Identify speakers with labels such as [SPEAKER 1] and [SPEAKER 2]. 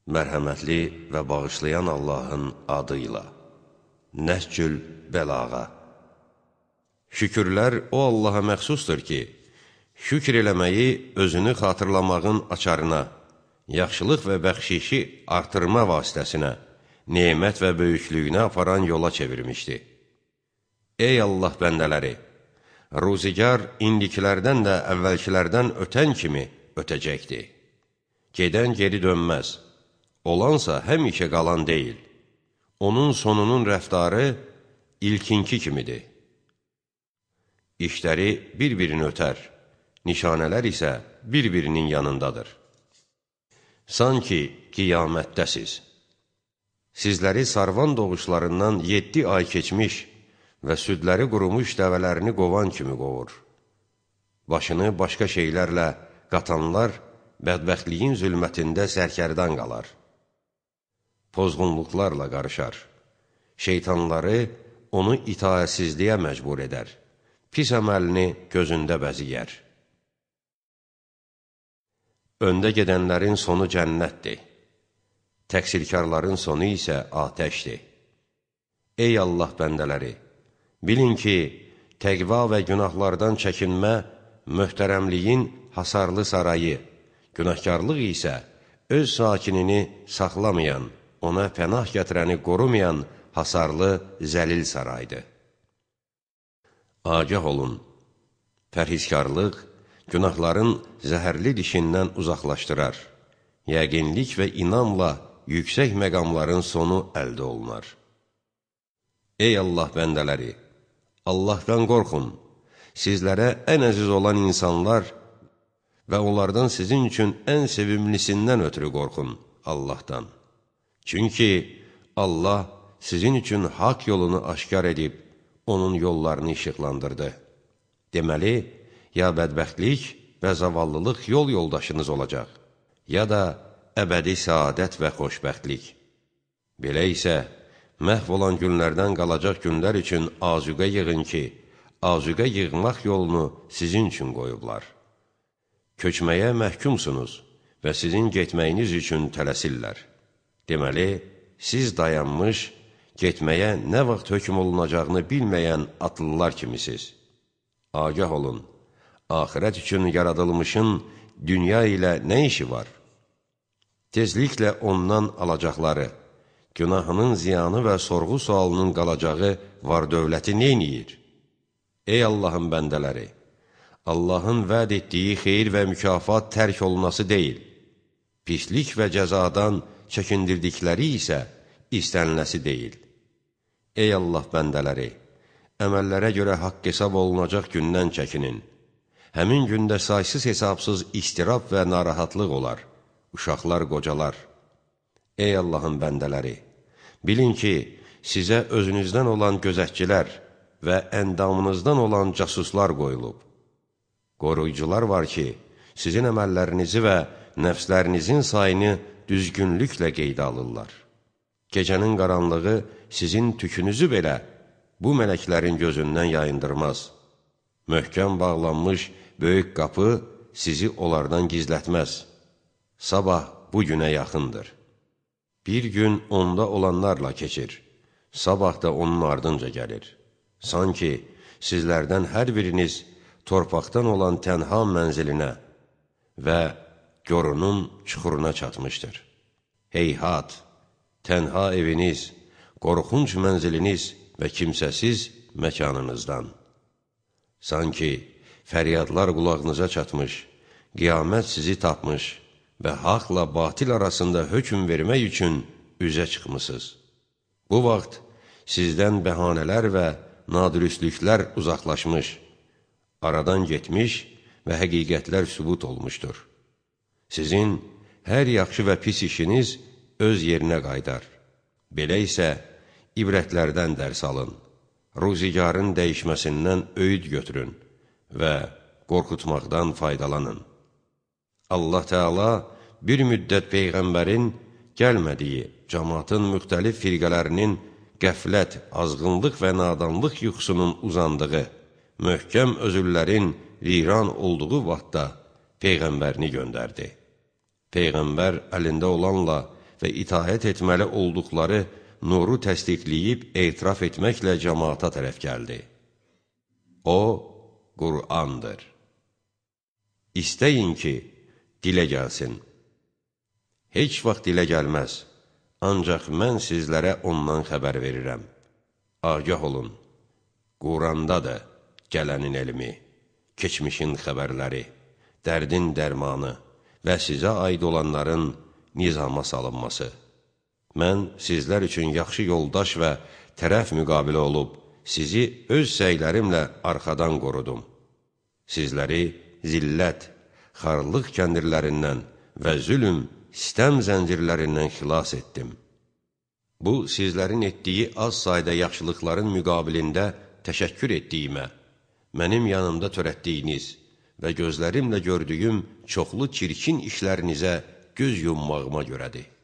[SPEAKER 1] Mərhəmətli və bağışlayan Allahın adıyla. Nəhcül Bəlağa. Şükürlər o Allaha məxsusdur ki, şükür eləməyi özünü xatırlamağın açarına, yaxşılıq və bəxşişi artırma vasitəsinə, nemət və böyüklüyünə aparan yola çevirmişdi. Ey Allah bəndələri! Ruzigar indikilərdən də əvvəlkilərdən ötən kimi ötəcəkdir. Gedən geri dönməz. Olansa həmişə qalan deyil. Onun sonunun rəftarı ilkinki kimidir. İşləri bir-birini ötər, nişanələr isə bir-birinin yanındadır. Sanki qiyamətdəsiz. Sizləri sarvan doğuşlarından 7 ay keçmiş və südləri qurumuş dəvələrini qovan kimi qovur. Başını başqa şeylərlə qatanlar bədbəxtliyin zülmətində sərkərdan qalar. Pozğunluqlarla qarışar. Şeytanları onu itaətsizliyə məcbur edər. Pis əməlini gözündə bəziyər. Öndə gedənlərin sonu cənnətdir. Təqsirkarların sonu isə atəşdir. Ey Allah bəndələri! Bilin ki, təqva və günahlardan çəkinmə möhtərəmliyin hasarlı sarayı, günahkarlıq isə öz sakinini saxlamayan, ona pənah gətirəni qorumayan hasarlı zəlil saraydır. Agah olun, pərhizkarlıq günahların zəhərli dişindən uzaqlaşdırar, yəqinlik və inamla yüksək məqamların sonu əldə olunar. Ey Allah bəndələri! Allahdan qorxun, sizlərə ən əziz olan insanlar və onlardan sizin üçün ən sevimlisindən ötürü qorxun Allahdan. Çünki Allah sizin üçün haqq yolunu aşkar edib, onun yollarını işıqlandırdı. Deməli, ya bədbəxtlik və zavallılıq yol yoldaşınız olacaq, ya da əbədi səadət və xoşbəxtlik. Belə isə, məhv olan günlərdən qalacaq günlər üçün azuqə yığın ki, azuqə yığmaq yolunu sizin üçün qoyublar. Köçməyə məhkumsunuz və sizin getməyiniz üçün tələsirlər. Deməli, siz dayanmış, getməyə nə vaxt hökm olunacağını bilməyən atlılar kimisiniz. Agah olun, axirət üçün yaradılmışın dünya ilə nə işi var? Tezliklə ondan alacaqları, günahının ziyanı və sorğu-sualının qalacağı var-dövləti neyniyir? Ey Allahın bəndələri! Allahın vəd etdiyi xeyir və mükafat tərk olunası deyil, pislik və cəzadan çəkindirdikləri isə istəniləsi deyil. Ey Allah bəndələri! Əməllərə görə haqq hesab olunacaq gündən çəkinin. Həmin gündə saysız-hesabsız istirab və narahatlıq olar, uşaqlar qocalar. Ey Allahın bəndələri! Bilin ki, sizə özünüzdən olan gözətçilər və əndamınızdan olan casuslar qoyulub. Qoruyucular var ki, sizin əməllərinizi və nəfslərinizin sayını düzgünlüklə qeydə alırlar. Gecənin qaranlığı sizin tükünüzü belə bu mələklərin gözündən yayındırmaz. Möhkəm bağlanmış böyük qapı sizi onlardan gizlətməz. Sabah bu günə yaxındır. Bir gün onda olanlarla keçir, sabah da onun ardınca gəlir. Sanki sizlərdən hər biriniz torpaqdan olan tənha mənzilinə və gorunun çuxuruna çatmışdır. Heyhat, tənha eviniz, qorxunc mənziliniz və kimsəsiz məkanınızdan. Sanki fəryadlar qulağınıza çatmış, qiyamət sizi tapmış və haqla batil arasında hökm vermək üçün üzə çıxmısınız. Bu vaxt sizdən bəhanələr və nadürüstlüklər uzaqlaşmış, aradan getmiş və həqiqətlər sübut olmuşdur. Sizin hər yaxşı və pis işiniz öz yerinə qaydar. Belə isə ibrətlərdən dərs alın, ruzigarın dəyişməsindən öyüd götürün və qorxutmaqdan faydalanın. Allah Teala bir müddət Peyğəmbərin gəlmədiyi cəmaatın müxtəlif firqələrinin qəflət, azğınlıq və nadanlıq yuxusunun uzandığı, möhkəm özüllərin viran olduğu vaxtda Peyğəmbərini göndərdi. Peyğəmbər əlində olanla və itaət etməli olduqları nuru təsdiqləyib etiraf etməklə cəmaata tərəf gəldi. O, Qur'andır. İstəyin ki, dilə gəlsin. Heç vaxt dilə gəlməz, ancaq mən sizlərə ondan xəbər verirəm. Agah olun, Qurandadır gələnin elmi, keçmişin xəbərləri, dərdin dərmanı və sizə aid olanların nizama salınması. Mən sizlər üçün yaxşı yoldaş və tərəf müqabilə olub, sizi öz səylərimlə arxadan qorudum. Sizləri zillət, xarlıq kəndirlərindən və zülm, sistəm zəncirlərindən xilas etdim. Bu, sizlərin etdiyi az sayda yaxşılıqların müqabilində təşəkkür etdiyimə, mənim yanımda törətdiyiniz və gözlərimlə gördüyüm çoxlu çirkin işlərinizə göz yummağıma görədir.